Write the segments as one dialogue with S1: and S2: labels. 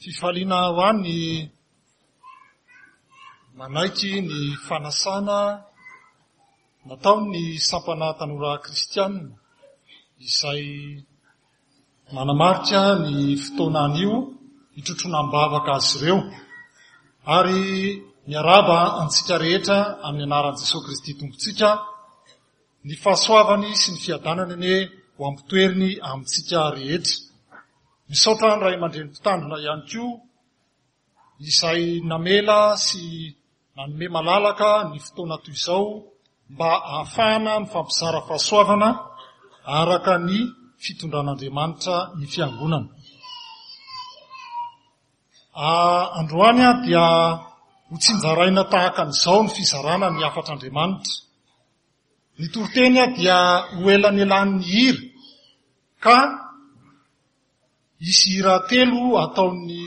S1: Fifaliana ho ahy ny manaiky ny fanasana nataon'ny sampana tanora kristiana izay manamarika ny fotoana anio hitrotroana am-bavaka azy ireo ary miarahaba antsika rehetra amin'ny anaran'i Jesoa Kristy Tompontsika. Ny fahasoavany sy ny fiadanany anie ho ampitoeriny amintsika rehetra. Misaotra ny ray aman-dreny mpitandrina ihany koa izay namela sy nanome malalaka ny fotoana toy izao mba ahafahana mifampizara fahasoavana araka ny fitondran'Andriamanitra ny fiangonana. Androany dia ho tsinjaraina tahaka an'izao ny fizarana ny hafatr'Andriamanitra. Ny toriteny dia ho elanelanin'ny hira ka hisy hira telo ataon'ny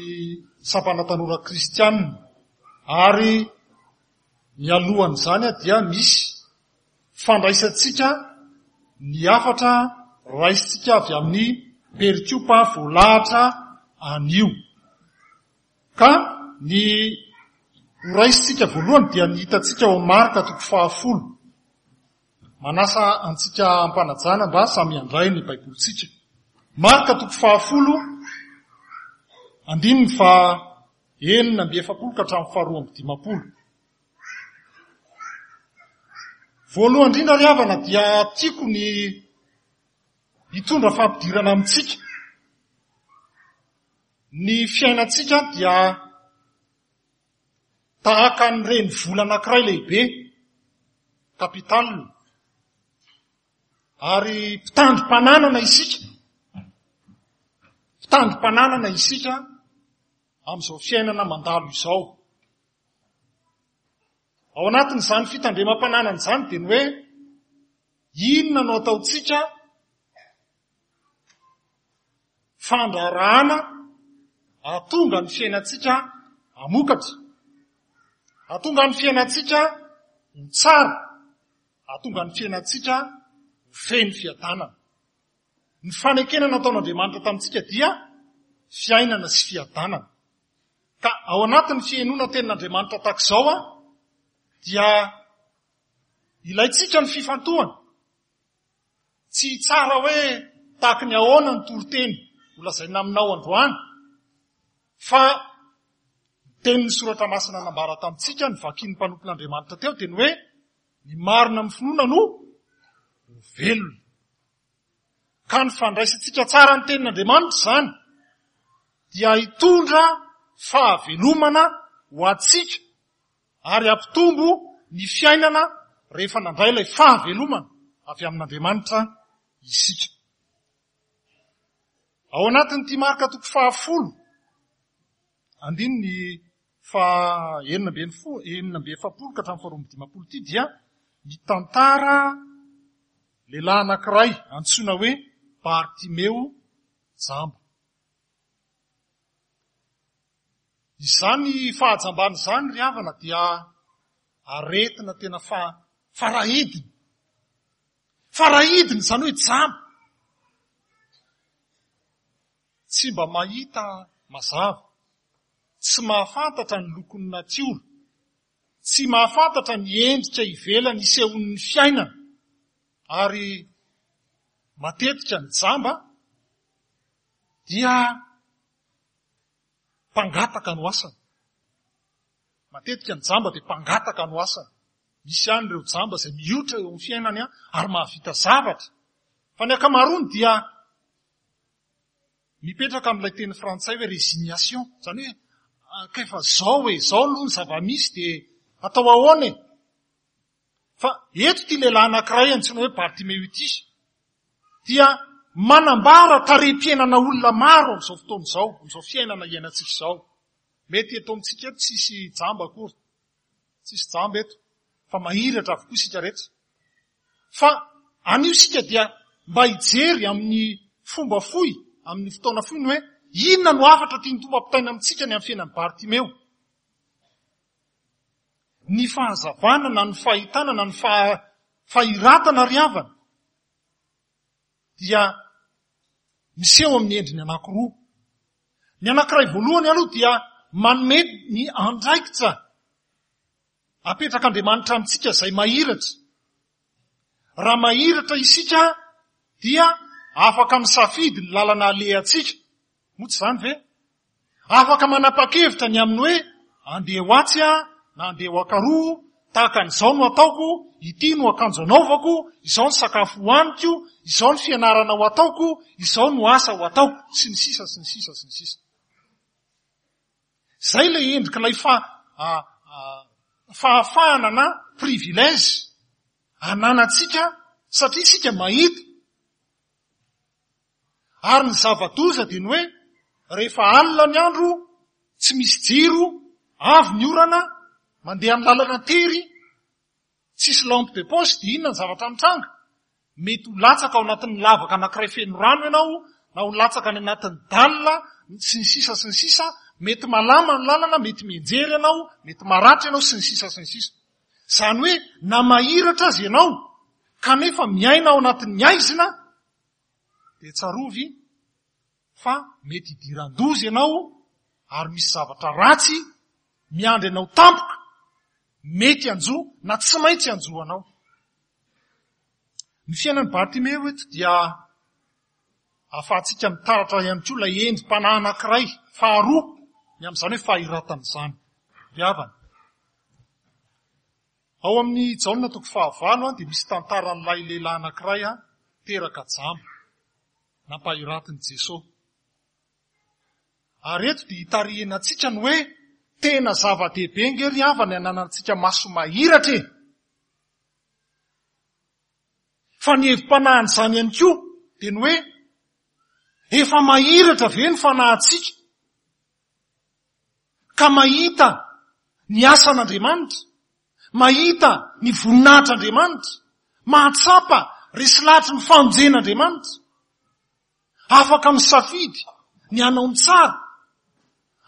S1: sampana tanora kristianina ary mialohan'izany dia misy fandraisantsika ny hafatra raisintsika avy amin'ny perikopa voalahatra anio. Ka ny ho raisintsika voalohany dia ny hitantsika ao Marka toko fahafolo. Manasa antsika am-panajana mba samy handray ny Baibolintsika. Marka toko fahafolo, andininy faha 46 ka hatramin'ny faha 52. Voalohany indrindra ry havana dia tiako ny hitondra fampidirana amintsika. Ny fiainantsika dia tahaka ny renivola anankiray lehibe, capital, ary mpitandrim-pananana isika. Mpitandrim-pananana isika amin'izao fiainana mandalo izao. Ao anatin'izany fitandremam-pananana izany dia ny hoe inona no ataontsika fandraharahana hahatonga ny fiainantsika hamokatra, hahatonga ny fiainantsika ho tsara, hahatonga ny fiainantsika ho feno fiadanana. Ny fanekena nataon'Andriamanitra tamintsika dia fiainana sy fiadanana. Ka ao anatin'ny fihainoana tenin'Andriamanitra tahaka izao dia ilaintsika ny fifantohana. Tsy hitsara hoe tahaky ny ahoana ny toriteny ho lazaina aminao androany, fa ny tenin'ny soratra masina nambara tamintsika, ny vakin'ny mpanompon'Andriamanitra teo dia ny hoe ny marina amin'ny finoana no ho velona. Ka ny fandraisantsika tsara ny tenin'Andriamanitra izany dia hitondra fahavelomana ho antsika ary hampitombo ny fiainana rehefa nandray ilay fahavelomana avy amin'Andriamanitra isika. Ao anatin'ity Marka toko fahafolo, andininy faha 46 ka hatramin'ny faha 52 ity dia mitantara lehilahy anankiray antsoina hoe Bartimeo jamba. Izany fahajambana izany ry havana dia aretina tena fa farahidiny. Farahidiny izany hoe jamba. Tsy mba mahita mazava, tsy mahafantatra ny lokon'ny natiora, tsy mahafantatra ny endrika ivelany isehoan'ny fiainana ary matetika ny jamba dia mpangataka no asany. Matetika ny jamba dia mpangataka no asany. Misy ihany ireo jamba izay miotra eo amin'ny fiainany ary mahavita zavatra. Fa ny ankamaroany dia mipetraka amin'ilay teny frantsay hoe résignation. Izany hoe ka efa zao e, zao aloha ny zava-misy dia atao ahoana e? Fa eto ity lehilahy anankiray antsoina hoe Bartimeo ity dia manambara tarehim-piainana olona maro amin'izao fotoana izao, amin'izao fiainana iainantsika izao. Mety eto amintsika eto tsisy jamba akory. Tsisy jamba eto fa mahiratra avokoa isika rehetra. Fa anio isika dia mba hijery amin'ny fomba fohy, amin'ny fotoana fohy ny hoe inona no hafatra tian'ny Tompo ampitaina amintsika ny amin'ny fiainan'i Bartimeo. Ny fahazavana na ny fahitana na ny fahiratana ry havana dia miseho amin'ny endriny anankiroa. Ny anankiray voalohany aloha dia manome ny andraikitra apetrak'Andriamanitra amintsika izay mahiratra. Raha mahiratra isika dia afaka misafidy ny lalana alehantsika. Moa tsy izany ve? Afaka manapa-kevitra ny amin'ny hoe andeha ho atsy aho na andeha ho ankaroa, tahaka an'izao no ataoko, ity no akanjo anaovako, izao ny sakafo hohaniko, izao ny fianarana ho ataoko, izao no asa ho ataoko, sy ny sisa sy ny sisa sy ny sisa. Izay ilay endrik'ilay fa, fahafahana na privilège ananantsika satria isika mahita. Ary ny zava-doza dia ny hoe rehefa alina ny andro, tsy misy jiro, avy ny orana, mandeha amin'ny lalana tery, tsisy lampe de poche dia inona ny zavatra mitranga? Mety ho latsaka ao anatin'ny lavaka anankiray feno rano ianao, na ho latsaka any anatin'ny dalle, sy ny sisa sy ny sisa, mety malama ny lalana, mety mianjera ianao, mety maratra ianao, sy ny sisa sy ny sisa. Izany hoe na mahiratra aza ianao, kanefa miaina ao anatin'ny haizina, dia tsarovy fa mety hidiran-doza ianao ary misy zavatra ratsy miandry anao tampoka, mety hanjo na tsy maintsy hanjo anao. Ny fiainan'i Bartimeo eto dia ahafahantsika mitaratra ihany koa ilay endri-panahy anankiray faharoa ny amin'izany hoe fahiratana izany. Ry havana, Ao amin'ny Jaona toko fahavalo dia misy tantaran'ilay lehilahy anankiray teraka jamba, nampahiratin'i Jesoa. Ary eto dia itarihina antsika ny hoe tena zava-dehibe nge ry havana ny ananantsika maso mahiratra e! Fa ny hevi-panahin'izany ihany koa dia ny hoe efa mahiratra ve ny fanahintsika? Ka mahita ny asan'Andriamanitra, mahita ny voninahitr'Andriamanitra, mahatsapa resy lahatry ny famonjen'Andriamanitra, afaka misafidy ny hanao ny tsara,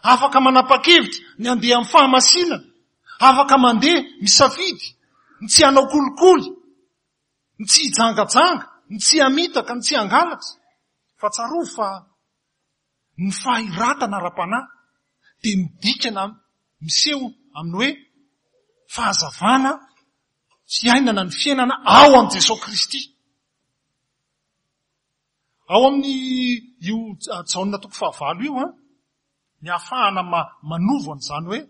S1: afaka manapa-kevitra ny handeha amin'ny fahamasinana, afaka mandeha misafidy ny tsy hanao kolikoly, ny tsy hijangajanga, ny tsy hamitaka, ny tsy hangalatra. Fa tsarovy fa Ny fahiratana ara-panahy dia midika na miseho amin'ny hoe fahazavana fiainana ny fiainana ao amin'i Jesoa Kristy. Ao amin'ny io Jaona toko fahavalo io an, ny ahafahana manovo an'izany hoe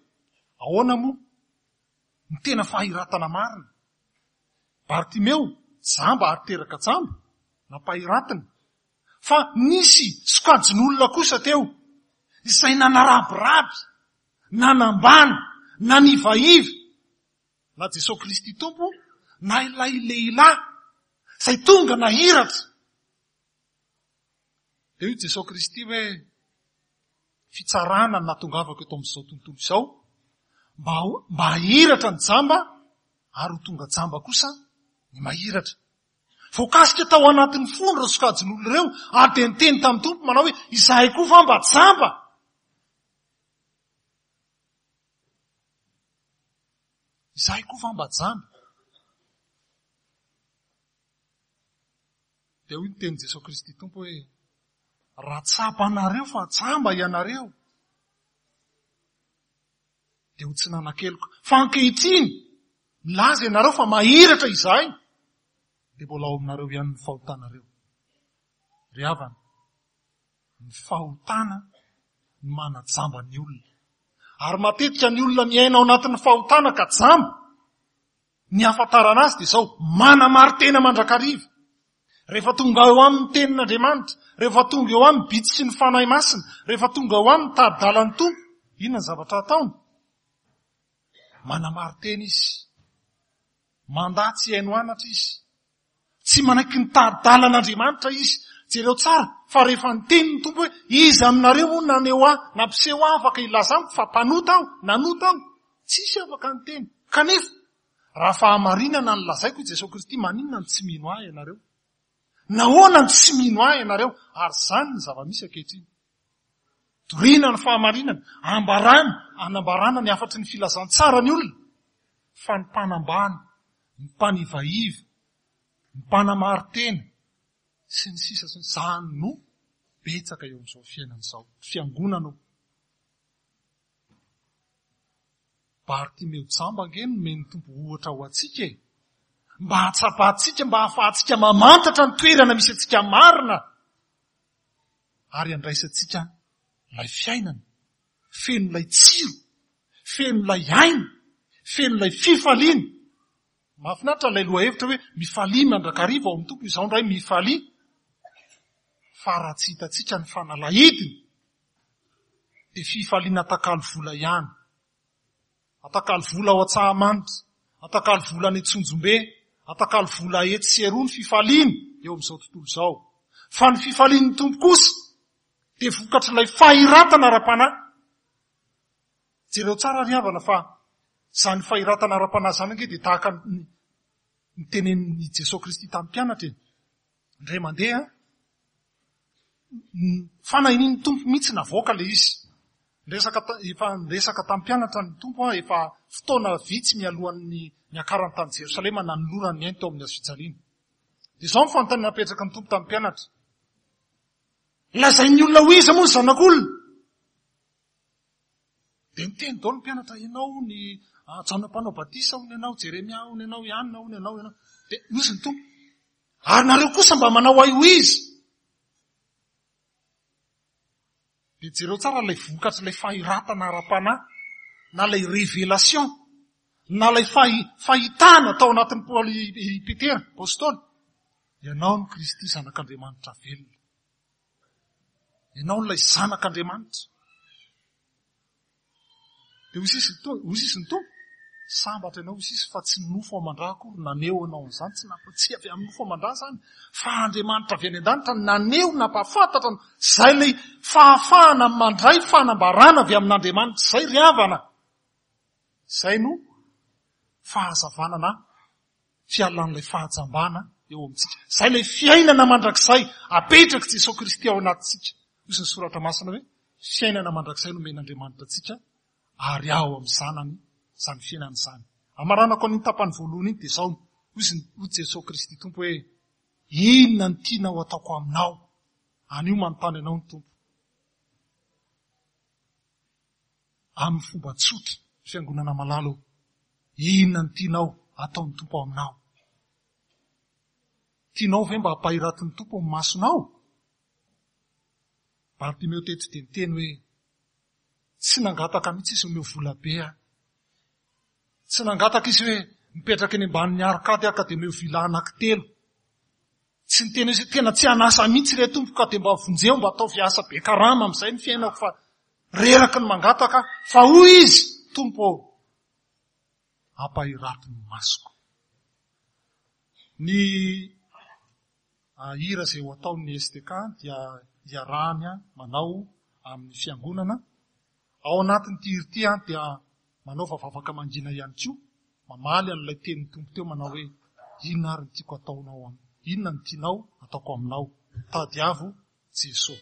S1: ahoana moa ny tena fahiratana marina. Bartimeo, jamba ary teraka jamba, nampahiratina. Fa nisy sokajin'olona kosa teo izay nanarabiraby, nanambany, nanivaiva na Jesoa Kristy Tompo na ilay lehilahy izay tonga nahiratra. Dia hoy Jesoa Kristy hoe, fitsarana no nahatongavako eto amin'izao tontolo izao, mba, mba hahiratra ny jamba ary ho tonga jamba kosa ny mahiratra. Voakasika tao anatin'ny fony ireo sokajin'olona ireo ary dia niteny tamin'ny Tompo manao hoe, Izahay koa va mba jamba? Izahay koa va mba jamba? Dia hoy ny tenin'i Jesoa Kristy Tompo hoe, Raha tsapanareo fa jamba ianareo, dia ho tsy nanan-keloka. Fa ankehitriny, milaza ianareo fa mahiratra izahay, dia mbola ao aminareo ihany ny fahotanareo. Ry havana, ny fahotana no manajamba ny olona. Ary matetika ny olona miaina ao anatin'ny fahotana ka jamba, Ny hahafantarana azy dia izao, manamari-tena mandrakariva. Rehefa tonga eo aminy ny tenin'Andriamanitra, rehefa tonga eo aminy bitsy sy ny Fanahy Masina, rehefa tonga eo aminy tari-dalan'ny Tompo, inona ny zavatra ataony? Manamari-tena izy. Mandà tsy hihaino anatra izy. Tsy manaiky ny tari-dalan'Andriamanitra izy. Jereo tsara fa rehefa niteny ny Tompo hoe, Iza aminareo moa naneho ahy, nampiseho ahy afaka hilaza amiko fa mpanota aho, nanota aho? Tsisy afaka niteny. Kanefa, raha fahamarinana no lazaiko i Jesoa Kristy, maninona no tsy mino ahy ianareo? Nahoana no tsy mino ahy ianareo? Ary izany ny zava-misy ankehitriny. Torina ny fahamarinana, ambarana, anambarana ny hafatry ny filazantsara ny olona, fa ny mpanambany, ny mpanivaiva, ny mpanamari-tena, sy ny sisa sy ny izany no Betsaka eo amin'izao fiainana izao. Fiangonana o. Bartimeo jamba ange no nomen'ny Tompo ohatra ho antsika e. Mba hahatsapantsika, mba hahafahantsika mamantatra ny toerana misy antsika marina ary handraisantsika ilay fiainana, feno ilay tsiro, feno ilay aina, feno ilay fifaliana. Mahafinaritra ilay lohahevitra hoe mifalia mandrakariva ao amin'ny Tompo, izao indray mifalia. Fa raha tsy hitantsika ny fanalahidiny, dia fifaliana atakalo vola ihany. Atakalo vola ao Antsahamanitra, atakalo vola any Antsonjombe, atakalo vola etsy sy eroa ny fifaliana eo amin'izao tontolo izao. Fa ny fifalian'ny Tompo kosa dia vokatr'ilay fahiratana ara-panahy. Jereo tsara ry havana fa izany fahiratana ara-panahy izany ange dia tahaka ny nitenenin'i Jesoa Kristy tamin'ny mpianatra e. Indray mandeha, ny fanahinin'ny Tompo mihitsy navoaka ilay izy. Niresaka, efa niresaka tamin'ny mpianatra ny Tompo efa fotoana vitsy mialohan'ny niakarany tany Jerosalema nanolorany ny ainy teo amin'ny hazofijaliana. Dia izao ny fanontaniana napetraky ny Tompo tamin'ny mpianatra. Lazain'ny olona ho iza moa ny zanak'olona? Dia niteny daholo ny mpianatra, ianao ny ah, Jaona mpanao batisa hono ianao, Jeremia hono ianao, i Anna hono ianao, ianao. Dia hoy ny Tompo, ary nareo kosa mba manao ahy ho iza? Dia jereo tsara ilay vokatr'ilay fahiratana ara-panahy, na ilay révélation, na ilay fahitana tao anatin'i Paoly i Petera, apostoly. Ianao no Kristy Zanak'Andriamanitra velona. Ianao ilay zanak'Andriamanitra. Dia hoy sisy hoy sisy ny Tompo, sambatra ianao hoy sisy fa tsy ny nofo aman-drà akory naneho anao an'izany, tsy nampa, tsy avy amin'ny nofo aman-drà izany, fa Andriamanitra avy any an-danitra naneho, nampahafantatra anao. Izay ilay fahafahana mandray fanambarana avy amin'Andriamanitra izay ry havana. Izay no fahazavana na fialan'ilay fahajambana eo amintsika. Izay ilay fiainana mandrakizay apetrak'i Jesoa Kristy ao anatintsika. Hoy ny soratra masina hoe, fiainana mandrakizay nomen'Andriamanitra antsika ary ao amin'ny Zanany izany fiainana izany. Amaranako an'iny tapany voalohany iny dia izao, hoy hoy Jesoa Kristy Tompo hoe, inona no tianao ataoko aminao? Anio manontany anao ny Tompo. Amin'ny fomba tsotra, Fiangonana malala ô, inona no tianao hataon'ny Tompo ao aminao? Tianao ve mba hampahiratin'ny Tompo ny masonao? Bartimeo teto dia niteny hoe, tsy nangataka mihitsy izy omeo vola be aho. Tsy nangataka izy hoe mipetraka eny ambanin'ny arcade aho ka dia omeo villa anankitelo. Tsy niteny izy hoe tena tsy hanasa mihitsy re Tompo ka dia mba vonjeo mba ataovy asa be karama amin'izay ny fiainako fa reraky ny mangataka aho. Fa hoy izy, Tompo ô, ampahirato ny masoko. Ny hira izay ho ataon'ny STK dia iarahany manao amin'ny fiangonana. Ao anatin'ity hira ity dia manaova vavaka mangina ihany koa, mamaly an'ilay tenin'ny Tompo teo manao hoe, inona ary ny tiako ataonao amiko? Inona no tianao ataoko aminao? Tadiavo Jesoa.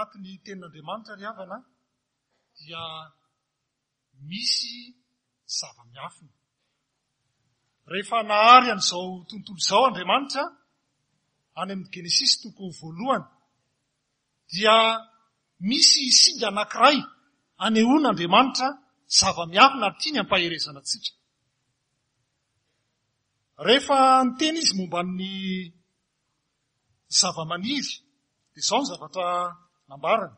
S1: anatin'ny tenin'Andriamanitra ry havana dia misy zava-miafina. Rehefa nahary an'izao tontolo izao Andriamanitra, any amin'ny Genesisy toko voalohany, dia misy singa anankiray anehoan'Andriamanitra zava-miafina ary tiany hampaherezana antsika. Rehefa niteny izy momba ny zava-maniry, dia izao ny zavatra nambarany.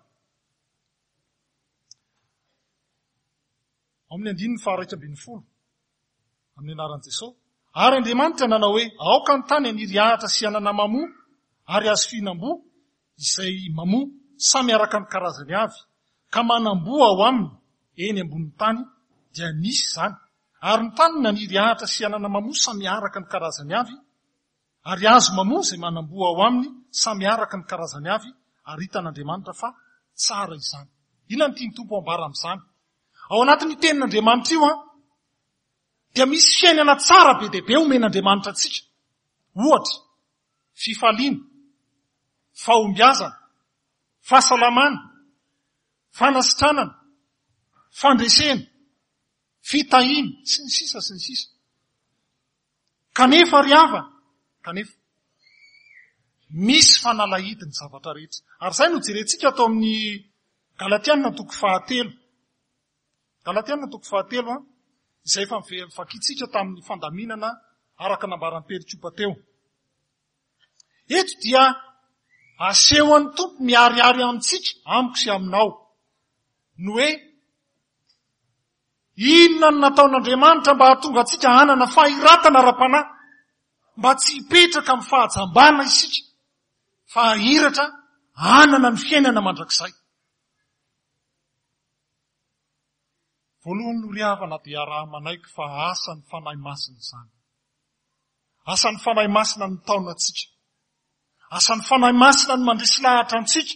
S1: Ao amin'ny andininy faha-11, amin'ny anaran'i Jesosy. Ary Andriamanitra nanao hoe, Aoka ny tany haniry ahitra sy anana mamoa, ary hazo fihinam-boa, izay mamoa, samy araka ny karazany avy, ka manam-boa ao aminy, eny ambonin'ny tany, dia nisy izany. Ary ny tany naniry ahitra sy anana mamoa samy araka ny karazany avy, Ary hazo mamoa izay manam-boa ao aminy, samy araka ny karazany avy, ary hitan'Andriamanitra fa tsara izany. Inona no tian'ny Tompo ambara amin'izany? Ao anatin'io tenin'Andriamanitra io an, dia misy fiainana tsara be dia be omen'Andriamanitra antsika. Ohatra, fifaliana, fahombiazana, fahasalamana, fanasitranana, fandresena, fitahiana, sy ny sisa sy ny sisa. Kanefa ry havana, kanefa, misy fanalahidy ny zavatra rehetra. Ary izay no jerentsika ato amin'ny Galatiana toko fahatelo. Galatiana toko fahatelo, an, izay efa vakintsika tamin'ny fandaminana araka nambaran'i Perikopa teo. Eto dia asehon'ny Tompo miharihary amintsika, amiko sy aminao, ny hoe Inona no nataon'Andriamanitra mba hahatonga antsika hanana fahiratana ara-panahy, mba tsy hipetraka amin'ny fahajambana isika, fa hahiratra hanana ny fiainana mandrakizay? Voalohany aloha ry havana dia araha-manaiky fa asan'ny Fanahy Masina izany. Asan'ny Fanahy Masina no mitaona antsika. Asan'ny Fanahy Masina no mandresy lahatra antsika.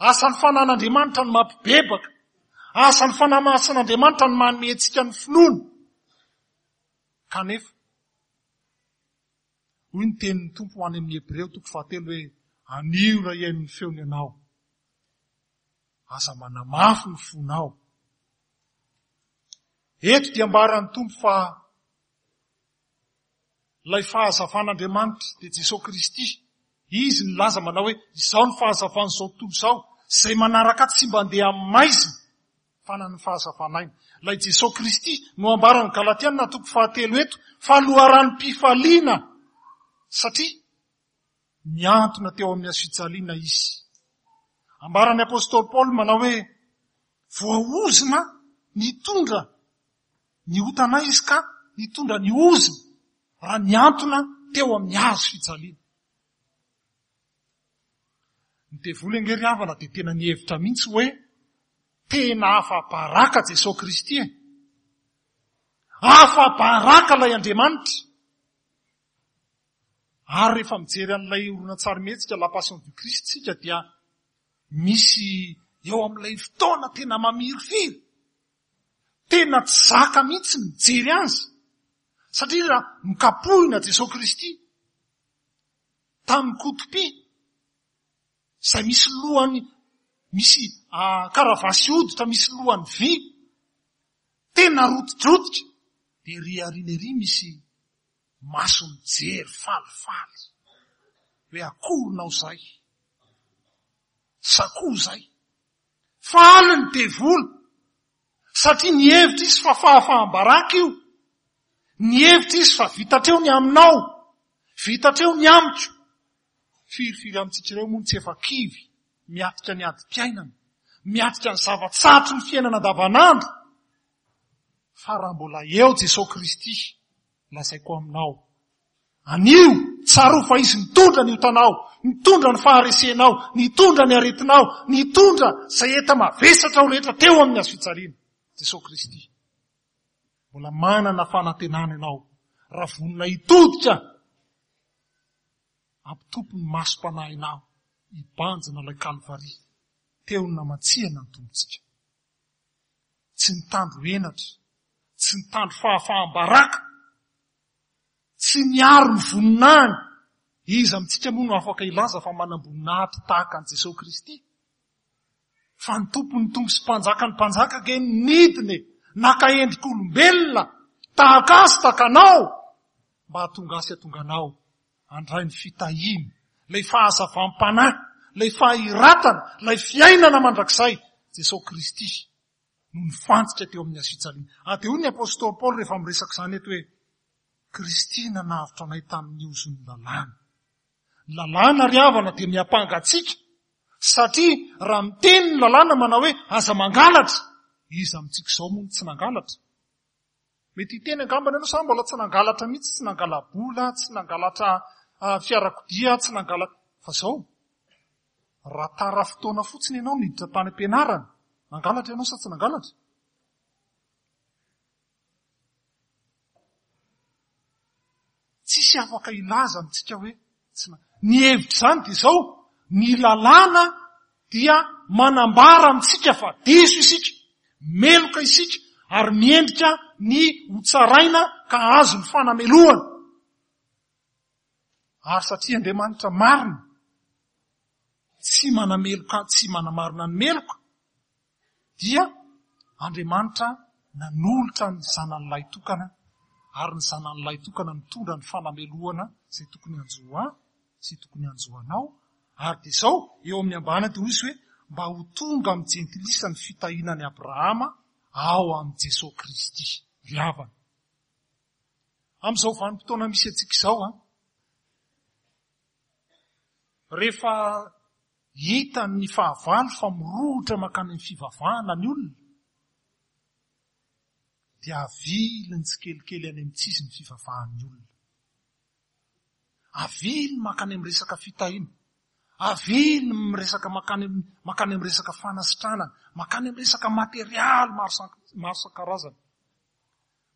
S1: Asan'ny Fanahin'Andriamanitra no mampibebaka. Asan'ny Fanahy Masin'Andriamanitra no manome antsika ny finoana. Kanefa, hoy ny tenin'ny Tompo ho any amin'ny Hebreo toko fahatelo hoe, Anio raha hihaino ny feony ianao, aza manamafy ny fonao. Eto dia ambaran'ny Tompo fa Ilay fahazavan'Andriamanitra dia Jesoa Kristy. Izy nilaza manao hoe, Izaho no fahazavan'izao tontolo izao, izay manaraka ahy tsy mba handeha amin'ny maizina, fa hanana ny fahazavan'aina. Ilay Jesoa Kristy no ambaran'ny Galatiana toko fahatelo eto fa loharanom-pifaliana, satria nihantona teo amin'ny hazofijaliana Izy. Ambaran'ny Apostoly Paoly manao hoe, Voaozona nitondra Ny otanay izy ka nitondra ny ozona raha nihantona teo amin'ny hazo fijaliana. Ny devoly ange ry havana dia tena nihevitra mihitsy hoe tena afa-baraka Jesoa Kristy e. Afa-baraka ilay Andriamanitra. Ary rehefa mijery an'ilay horonantsarimihetsika La Passion du Christ tsika dia misy eo amin'ilay fotoana tena mamirifiry Tena tsy zaka mihitsy ny mijery azy satria raha nokapohina Jesoa Kristy tamin'ny kotopy izay misy lohany misy karavasy hoditra misy lohany vy tena rotidrotika dia ery aoriana ery misy maso mijery falifaly hoe akorinao izay sakoa izay Faly ny devoly satria nihevitra izy fa fahafaham-baraka io. Nihevitra izy fa vita hatreo ny aminao, vita hatreo ny amiko. Firifiry amintsika ireo moa no tsy efa kivy miatrika ny adim-piainana, miatrika ny zava-tsarotry ny fiainana andavanandro. Fa raha mbola eo Jesoa Kristy, lazaiko aminao, Anio, tsarovy fa Izy nitondra ny otanao, nitondra ny faharesenao, nitondra ny aretinao, nitondra izay enta-mavesatra ao rehetra teo amin'ny hazo fijaliana. Jesoa Kristy. Mbola manana fanantenana ianao raha vonona hitodika hampitopy ny masom-panahinao hibanjina ilay Kalvary teo ny namantsihana ny Tompontsika. Tsy nitandro henatra, tsy nitandro fahafaham-baraka, Tsy niaro ny voninahiny. Iza amintsika moa no afaka hilaza fa manam-boninahitra tahaka an'i Jesoa Kristy? Fa ny Tompon'ny Tompo sy Mpanjakan'ny Mpanjaka ange nidina e, naka endrik'olombelona, tahaka ahy sy tahaka anao, mba hahatonga ahy sy hahatonga anao handray ny fitahiana, ilay fahazavam-panahy, ilay fahiratana, ilay fiainana mandrakizay, Jesosy Kristy no nifantsika teo amin'ny hazofijaliana. Ary dia hoy ny Apostoly Paoly rehefa miresaka izany eto hoe, Kristy nanavotra anay tamin'ny ozon'ny lalàna. Ny lalàna ry havana dia miampanga antsika satria raha miteny ny lalàna manao hoe aza mangalatra, iza amintsika izao moa no tsy nangalatra? Mety hiteny angambany ianao, za mbola tsy nangalatra mihitsy, tsy nangala-bola, tsy nangalatra ah, fiarakodia, tsy nangala... Fa zao, raha tara fotoana fotsiny ianao niditra tany am-pianarana, nangalatra ianao sa tsy nangalatra? Tsisy afaka hilaza amintsika hoe tsy na. Ny hevitr'izany dia izao, ny lalàna dia manambara amintsika fa diso isika, meloka isika ary miendrika ny ho tsaraina ka hahazo ny fanamelohana. Ary satria Andriamanitra marina, tsy manameloka, tsy manamarina ny meloka, dia Andriamanitra nanolotra ny Zanany Lahitokana, ary ny Zanany Lahitokana nitondra ny fanamelohana izay tokony hanjo ahy sy tokony hanjo anao, ary dia izao, eo amin'ny ambany dia hoy izy hoe, mba ho tonga amin'ny jentilisa ny fitahiana an'i Abrahama ao amin'i Jesoa Kristy. Ry havana, amin'izao vanim-potoana misy antsika izao, an, rehefa Hitan'ny fahavalo fa mirohotra mankany amin'ny fivavahana ny olona, dia aviliny tsikelikely any amin'ny tsisy ny fivavahan'ny olona. Aviliny mankany amin'ny resaka fitahiana. Aviliny miresaka mankany mankany amin'ny resaka fanasitranana, mankany amin'ny resaka materialy maro maro isan-karazany.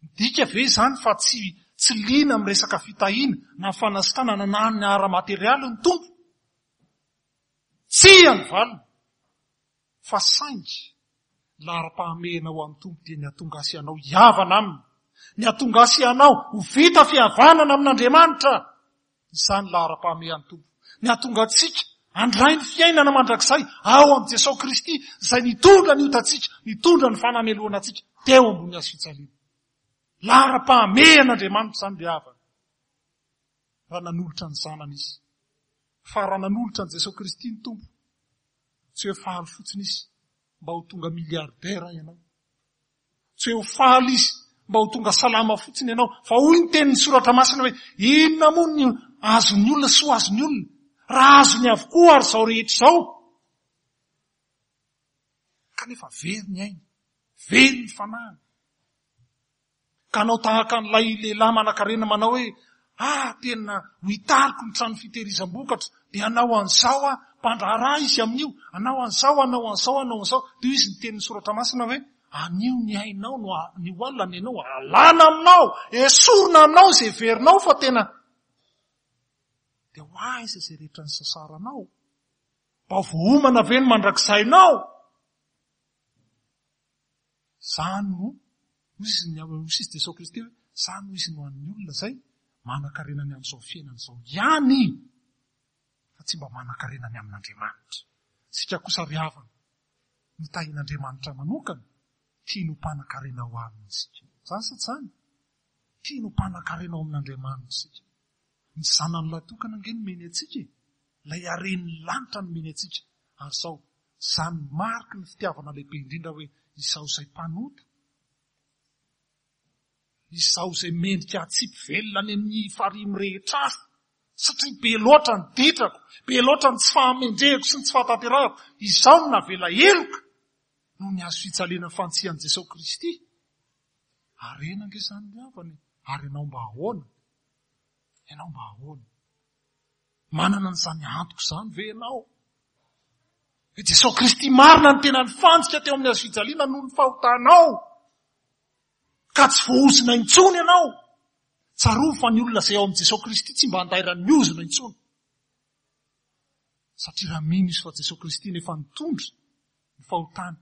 S1: Midika ve izany fa tsy tsy liana amin'ny resaka fitahiana na fanasitranana na ny ara-materialy ny Tompo? Tsia ny valiny, fa saingy laharam-pahamehana ho an'ny Tompo dia ny hahatonga ahy sy ianao hihavana Aminy, ny hahatonga ahy sy ianao ho vita fihavanana amin'Andriamanitra. Izany laharam-pahamehan'ny Tompo. Ny hahatonga antsika handray ny fiainana mandrakizay ao amin'i Jesosy Kristy izay nitondra ny otantsika, nitondra ny fanamelohana antsika teo ambony hazo fijaliana. Laharam-pahamehan'Andriamanitra izany ry havana. Raha nanolotra ny Zanany Izy. Fa raha nanolotra an'i Jesosy Kristy ny Tompo, tsy hoe faly fotsiny Izy mba ho tonga milliardaire ianao. Tsy hoe ho faly Izy mba ho tonga salama fotsiny ianao. Fa hoy ny tenin'ny Soratra Masina hoe, inona moa ny azon'ny olona sy ho azon'ny olona, raha azony avokoa ary izao rehetra izao? Kanefa very ny ainy, very ny fanahiny. Ka hanao tahaka an'ilay lehilahy manankarena manao hoe, Ah, tena ho hitariko ny trano fitehirizam-bokatra, dia hanao an'izao aho, mpandraharaha izy amin'io, hanao an'izao, hanao an'izao, hanao an'izao. Dia hoy izy ny tenin'ny soratra masina hoe, anio ny ainao no, anio alina ny ainao alana aminao, esorina aminao izay heverinao fa tena. Dia ho aiza izay rehetra nisasaranao? Mba voaomana ve ny mandrakizainao? Izany no, hoy izy ny hoy izy Jesoa Kristy hoe, izany hoy izy no an'ny olona izay manan-karena ny amin'izao fiainana izao ihany, fa tsy mba manan-karena ny amin'Andriamanitra. Isika kosa ry havana, notahin'Andriamanitra manokana, tiany ho mpanan-karena ao aminy isika. Izany sa tsy izany? Tiany ho mpanan-karena ao amin'Andriamanitra isika. Ny zanany lahy tokana ange nomeny antsika e! Ilay haren'ny lanitra nomeny antsika. Ary izao, izany mariky ny fitiavana lehibe indrindra hoe izaho izay mpanota, izaho izay mendrika hatsipy velona any amin'ny farihy mirehitra afo, satria be loatra ny ditrako, be loatra ny tsy fahamendrehako sy ny tsy fahatanterahako, izaho no navela heloka noho ny hazo fijaliana fantsihan'i Jesosy Kristy. Harena ange izany ry havana e! Ary ianao mba ahoana? Ianao mba ahoana? Manana an'izany antoka izany ve ianao? Hoe Jesosy Kristy marina ny tena nifantsika teo amin'ny hazo fijaliana noho ny fahotanao. Ka tsy voaozona intsony ianao. Tsarovy fa ny olona izay ao amin'i Jesosy Kristy tsy mba andairan'ny ozona intsony. Satria raha mino izy fa Jesosy Kristy no efa nitondra ny fahotany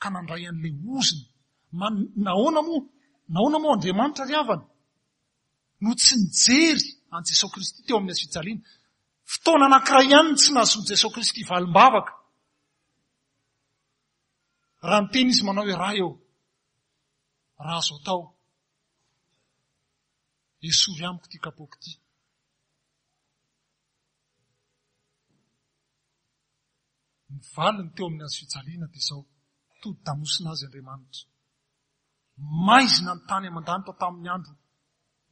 S1: ka nandray an'ilay ozona. Nahoana moa? Nahoana moa Andriamanitra ry havana no tsy nijery an'i Jesosy Kristy teo amin'ny hazofijaliana? Fotoana anankiray ihany no tsy nahazoan'i Jesosy Kristy valim-bavaka. Raha niteny izy manao hoe Ray ô, raha azo atao, esory amiko ity kapoaka ity. Ny valiny teo amin'ny hazo fijaliana dia izao, todi-damosina azy Andriamanitra. Maizina ny tany aman-danitra tamin'ny andro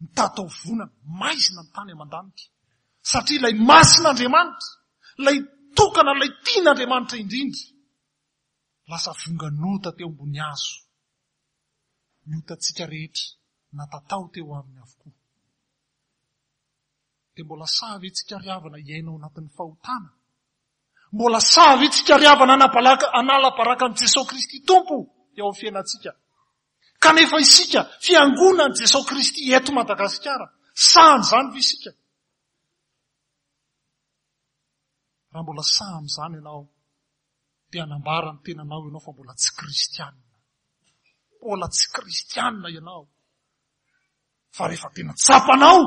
S1: mitataovonana, maizina ny tany aman-danitra. Satria ilay masin'Andriamanitra, ilay tokana, ilay tian'Andriamanitra indrindra, lasa vongan'ota teo ambony hazo. Ny otantsika rehetra natatao teo aminy avokoa. Dia mbola sahy ve tsika ry havana hiaina ao anatin'ny fahotana? Mbola sahy ve tsika ry havana hanabalaka hanala baraka an'i Jesoa Kristy Tompo eo amin'ny fiainantsika? Kanefa isika fiangonan'i Jesoa Kristy eto Madagasikara, sahy an'izany ve isika? Raha mbola sahy amin'izany ianao, dia hanambara ny tenanao ianao fa mbola tsy kristianina. Mbola tsy kristianina ianao. Fa rehefa tena tsapanao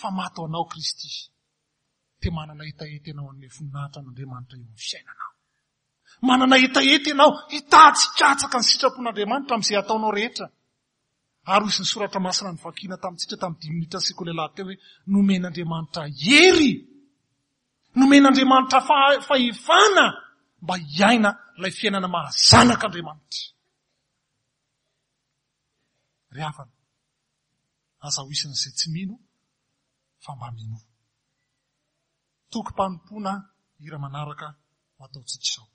S1: fa maty ho anao Kristy, dia manana hetaheta ianao hanome voninahitra an'Andriamanitra eo amin'ny fiainanao. Manana hetaheta ianao hitady sy hikatsaka ny sitrapon'Andriamanitra amin'izay ataonao rehetra. Ary hoy ny soratra masina novakiana tamintsika tamin'ny dimy minitra sekoly alahady teo hoe nomen'Andriamanitra hery, nomen'Andriamanitra fahefana mba hiaina ilay fiainana maha zanak'Andriamanitra. Ry havana, aza ho isan'izay tsy mino fa mba minoa. Tokim-panompoana hira manaraka ho ataontsika izao.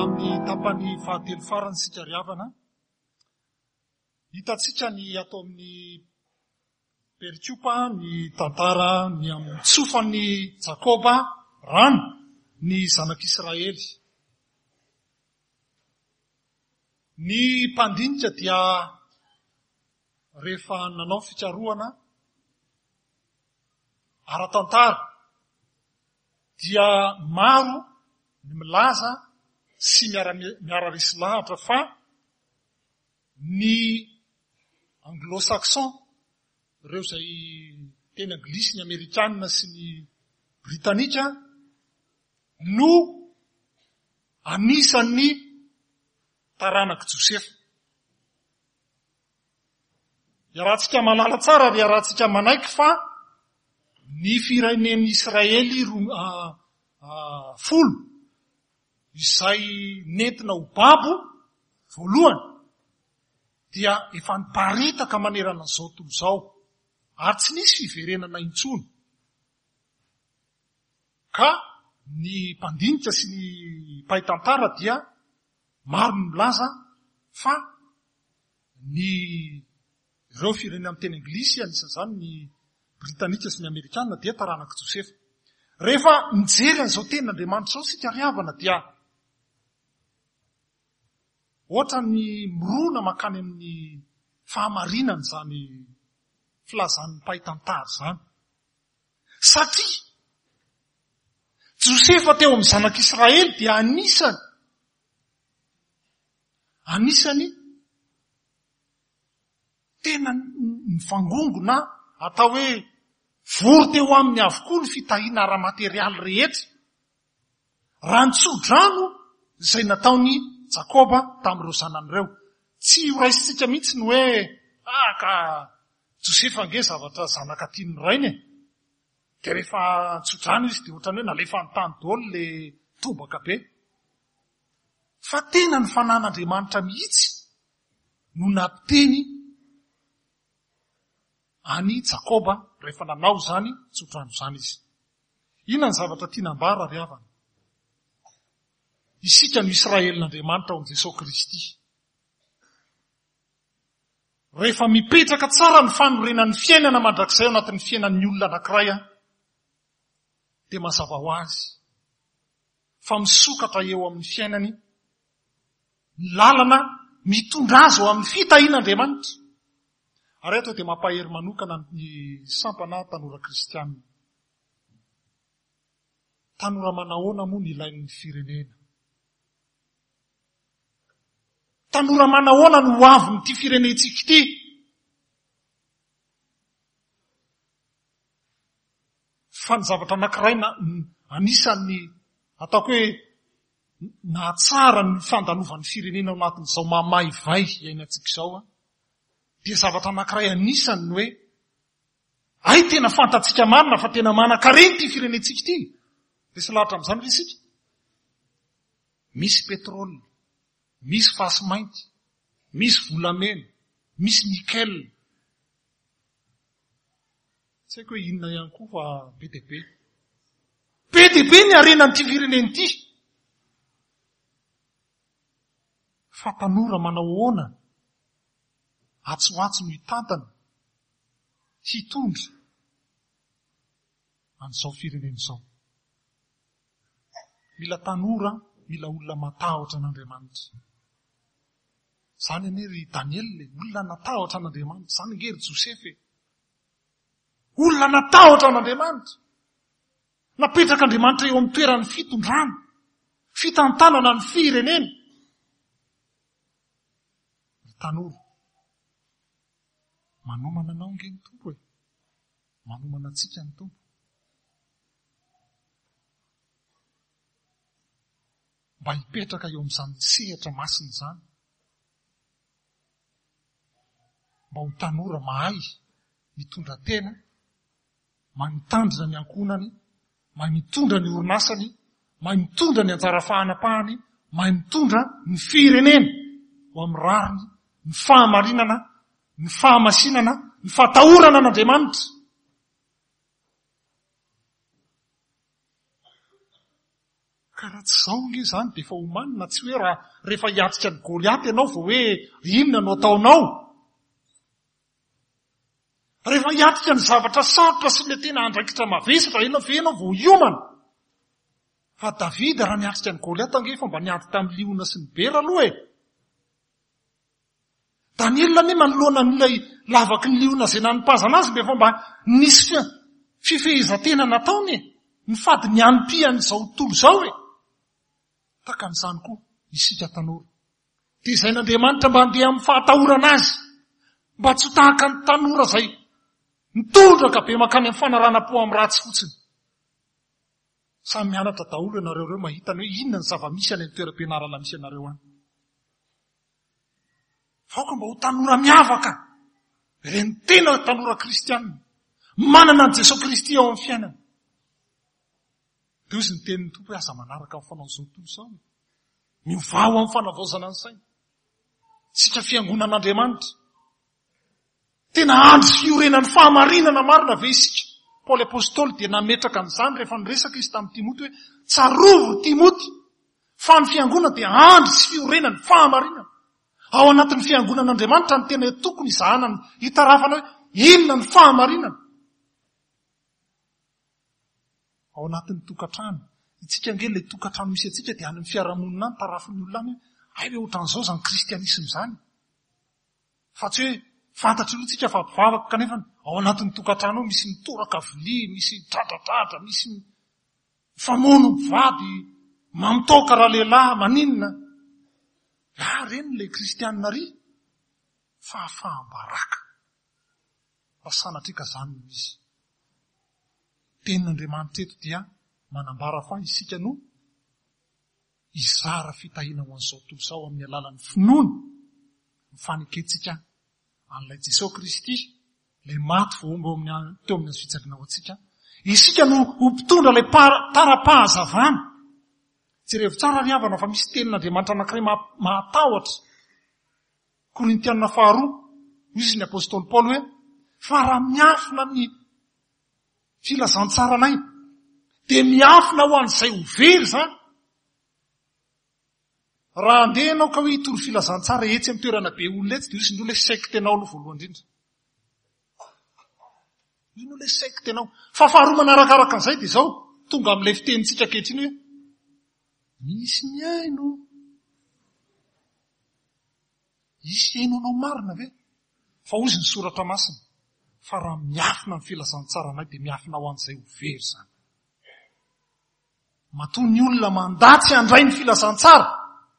S1: Amin'ny tapany fahatelo farany isika ry havana. Hitantsika ny ato amin'ny perikopa ny tantara ny amin'ny tsofan'i Jakoba rano ny zanak'Israely. Ny mpandinika dia rehefa nanao fikarohana ara-tantara dia maro ny milaza sy miara-resy lahatra fa ny anglo-saxon, ireo izay teny anglisy, ny amerikana sy ny britanika no anisan'ny taranak'i Josefa. Iarahantsika mahalala tsara ary iarahantsika manaiky fa ny firenen'i Israely folo izay nentina ho babo voalohany dia efa niparitaka manerana an'izao tontolo izao ary tsy nisy fiverenana intsony. Ka ny mpandinika sy ny mpahay tantara dia maro ny milaza fa ny ireo firenena miteny anglisy, anisan'izany ny Britanika sy ny Amerikana dia taranak'i Josefa. Rehefa mijery an'izao tenin'Andriamanitra izao isika ry havana dia ohatran'ny mirona mankany amin'ny fahamarinana izany filazan'ny mpahay tantara izany. Satria Josefa teo amin'ny zanak'Israely dia anisany anisany tena nivangongo na atao hoe vory teo aminy avokoa ny fitahiana ara-materialy rehetra. Raha ny tso-drano izay nataon'i Jakoba tamin'ireo zanany ireo. Tsy ho raisintsika mihitsy ny hoe, ah ka Josefa ange zavatra zanaka tian'ny rainy e. Dia rehefa tso-drano izy dia ohatran'ny hoe nalefa an-tany daholo ilay tobaka be. Fa tena ny fanan'Andriamanitra mihitsy no nampiteny an'i Jakoba rehefa nanao izany tso-drano izany izy. Inona ny zavatra tiana ambara ry havana? Isika no Israelin'Andriamanitra ao amin'i Jesosy Kristy. Rehefa mipetraka tsara ny fanorenan'ny fiainana mandrakizay ao anatin'ny fiainan'ny olona anankiray, dia mazava ho azy fa misokatra eo amin'ny fiainany ny lalana mitondra azy ho amin'ny fitahian'Andriamanitra. Ary eto dia mampahery manokana ny sampana tanora kristiana. Tanora manahoana moa ny ilain'ny firenena? Tanora manahoana no ho avin'ity firenentsika ity? Fa ny zavatra anankiray na anisan'ny ataoko hoe nahatsara ny fandalovan'ny firenena ao anatin'izao mamaivay iainantsika izao dia zavatra anankiray anisany ny hoe hay tena fantatsika marina fa tena manan-karena ity firenentsika ity. Resy lahatra amin'izany ve isika? Misy pétrole, misy fasy mainty, misy volamena, misy nickel. Tsy haiko hoe inona ihany koa fa be dia be. Be dia be ny harenan'ity firenena ity. Fa tanora manao ahoana atsy ho atsy no hitantana, hitondra an'izao firenena izao. Mila tanora, mila olona matahotra an'Andriamanitra. Izany anie ry Daniela e, olona natahotra an'Andriamanitra. Izany ange ry Josefa e. Olona natahotra an'Andriamanitra. Napetrak'Andriamanitra eo amin'ny toeran'ny fitondrana, fitantanana ny firenena. Ry tanora, manomana anao ange ny Tompo e. Manomana antsika ny Tompo. Mba hipetraka eo amin'izany sehatra masina izany. Mba ho tanora mahay mitondra tena, mahay mitandrina ny ankohonany, mahay mitondra ny orinasany, mahay mitondra ny anjara fahanapahany, mahay mitondra ny firenena ho amin'ny rariny, ny fahamarinana, ny fahamasinana, ny fahatahorana an'Andriamanitra. Ka raha tsy izao ange izany dia efa omanina, tsy hoe raha rehefa hiatrika an'i Goliata ianao vao hoe inona no ataonao. Rehefa hiatrika ny zavatra sarotra sy ilay tena andraikitra mavesatra ianao ve ianao vao hiomana. Fa Davida raha niatrika an'i Goliata ange efa mba niady tamin'ny liona sy ny bera aloha e. Daniela anie manoloana an'ilay lavaky ny liona izay nanipazana azy mba efa mba nisy fifehezan-tena nataony e. Nifady ny hanim-pian'izao tontolo izao e. Tahaka an'izany koa isika tanora. Tezain'Andriamanitra mba handeha amin'ny fahatahorana azy. Mba tsy ho tahaka ny tanora izay mitondraka be mankany amin'ny fanaranam-po amin'ny ratsy fotsiny. Samy mianatra daholo ianareo ireo mahita ny hoe inona ny zava-misy any amin'ny toeram-pianarana misy anareo any. Fa aoka mba ho tanora miavaka, ireny tena tanora kristianina, manana an'i Jesoa Kristy ao amin'ny fiainana. Dia hoy izy ny tenin'ny Tompo hoe aza manaraka ny fanaon'izao tontolo izao. Miovà ho amin'ny fanavaozana ny saina. Isika fiangonan'Andriamanitra. Tena andry fiorenan'ny fahamarinana marina ve isika? Paoly Apostoly dia nametraka an'izany rehefa niresaka izy tamin'i Timoty hoe, Tsarovy ry Timoty fa ny fiangonana dia andry sy fiorenan'ny fahamarinana. Ao anatin'ny fiangonan'Andriamanitra no tena tokony hizahana ny hitarafana hoe inona ny fahamarinana. Ao anatin'ny tokantrano. Itsika ange ilay tokantrano misy antsika dia any amin'ny fiarahamonina any, tarafin'ny olona any hoe hay ve ohatran'izao izany kristianisma izany. Fa tsy hoe fantatry aloha tsika fa mpivavaka kanefa ao anatin'ny tokantrano ao misy mitoraka vilia, misy dradradradra, misy mifamono mpivady, mamitaoka ralehilahy, maninona. Ah, reny ilay kristianina ry fahafaham-baraka. Raha sanatria ka izany no izy. Tenin'Andriamanitra eto dia manambara fa isika no hizara fitahiana ho an'izao tontolo izao amin'ny alalan'ny finoana ny fanekentsika an'ilay Jesoa Kristy, ilay maty voahombo eo amin'ny teo amin'ny hazo fijaliana ho antsika. Isika no ho mpitondra ilay tara-pahazavana. Jerevo tsara ry havana fa misy tenin'Andriamanitra anankiray mahatahotra. Korintiana faharoa, hoy izy ny apostoly Paoly hoe, fa raha miafina ny filazantsaranay, dia miafina ho an'izay ho very izany. Raha andeha ianao ka hoe hitory filazantsara etsy amin'ny toerana be olona etsy, dia hoy izy ny olona hoe secte anao aloha voalohany indrindra. Ino ilay secte anao? Fa faharoa manarakaraka an'izay dia izao, tonga amin'ilay fitenintsika ankehitriny hoe misy mihaino. Hisy hihaino anao marina ve? Fa hozy ny soratra masina, fa raha miafina ny filazantsaranay dia miafina ho an'izay ho very izany. Matoa ny olona mandà tsy handray ny filazantsara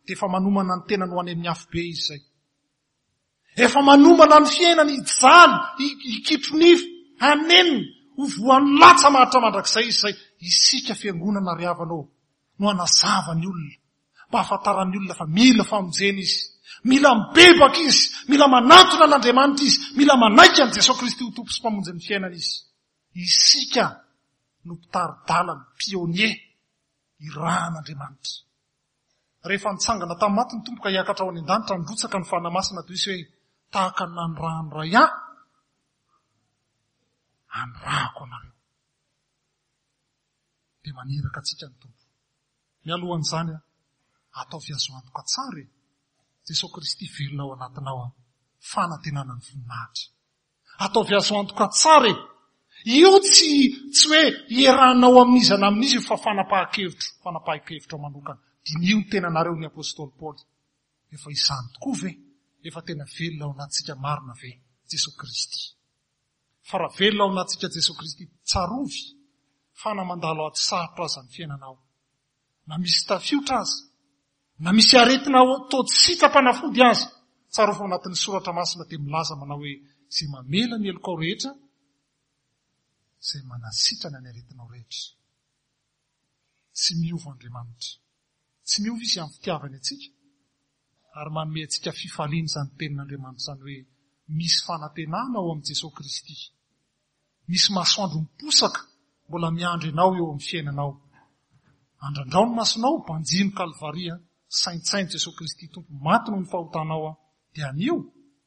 S1: dia efa manomana ny tenany ho any amin'ny afobe izy izay. Efa manomana ny fiainany hijaly, hikitro nify, hanenina, ho voan'ny latsa maharitra mandrakizay izy izay. Isika fiangonana ry havana ô, no hanazava ny olona mba hahafantaran'ny olona fa mila famonjena izy, mila mibebaka izy, mila manantona an'Andriamanitra izy, mila manaiky an'i Jesoa Kristy ho Tompo sy Mpamonjy ny fiainana izy. Isika no mpitari-dalana, pionnier, irahan'Andriamanitra. Rehefa nitsangana tamin'ny maty ny Tompo ka hiakatra ho any an-danitra, nirotsaka ny Fanahy Masina toy izy hoe, tahaka ny nanirahan'ny Ray ahy, anirahako anareo. Dia maniraka antsika ny Tompo. Mialohan'izany, ataovy azo antoka tsara e! Jesoa Kristy velona ao anatinao an! Fanantenana ny voninahitra. Ataovy azo antoka tsara e! Io tsy tsy hoe iarahanao amin'iza na amin'iza io fa fanapahan-kevitro, fanapahan-kevitrao manokana. Diniho ny tenanareo ny Apostoly Paoly. Efa izany tokoa ve? Efa tena velona ao anatintsika marina ve Jesoa Kristy? Fa raha velona ao anatintsika Jesoa Kristy, tsarovy fa na mandalo ady sarotra aza ny fiainanao, na misy tafiotra aza, na misy aretina toa tsy sitra-panafody aza, tsarovy fa ao anatin'ny Soratra Masina dia milaza manao hoe, izay mamela ny helokao rehetra, izay manasitrana ny aretinao rehetra. Tsy miova Andriamanitra. Tsy miova Izy amin'ny fitiavany antsika ary manome antsika fifaliana izany tenin'Andriamanitra izany hoe misy fanantenana ao amin'i Jesoa Kristy. Misy masoandro miposaka mbola miandry anao eo amin'ny fiainanao. Andrandrao ny masonao, banjino Kalvary, saintsaino Jesoa Kristy Tompo maty noho ny fahotanao dia anio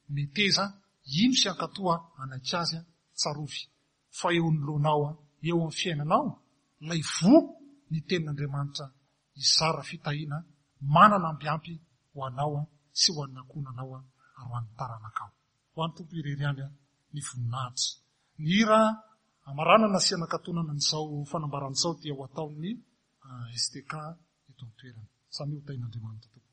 S1: meteza hino sy hankatoa hanaiky Azy, tsarovy fa eo anoloanao, eo amin'ny fiainanao, ilay voa ny tenin'Andriamanitra. hizara fitahiana manana ambiampy ho anao sy ho an'ny ankohonanao ary ho an'ny taranakao. Ho an'ny Tompo irery ihany ny voninahitra. Ny hira hamaranana sy hanakatonana an'izao fanambarana izao dia ho ataon'ny STK eto an-toerana. Samia ho tahin'Andriamanitra tompoko.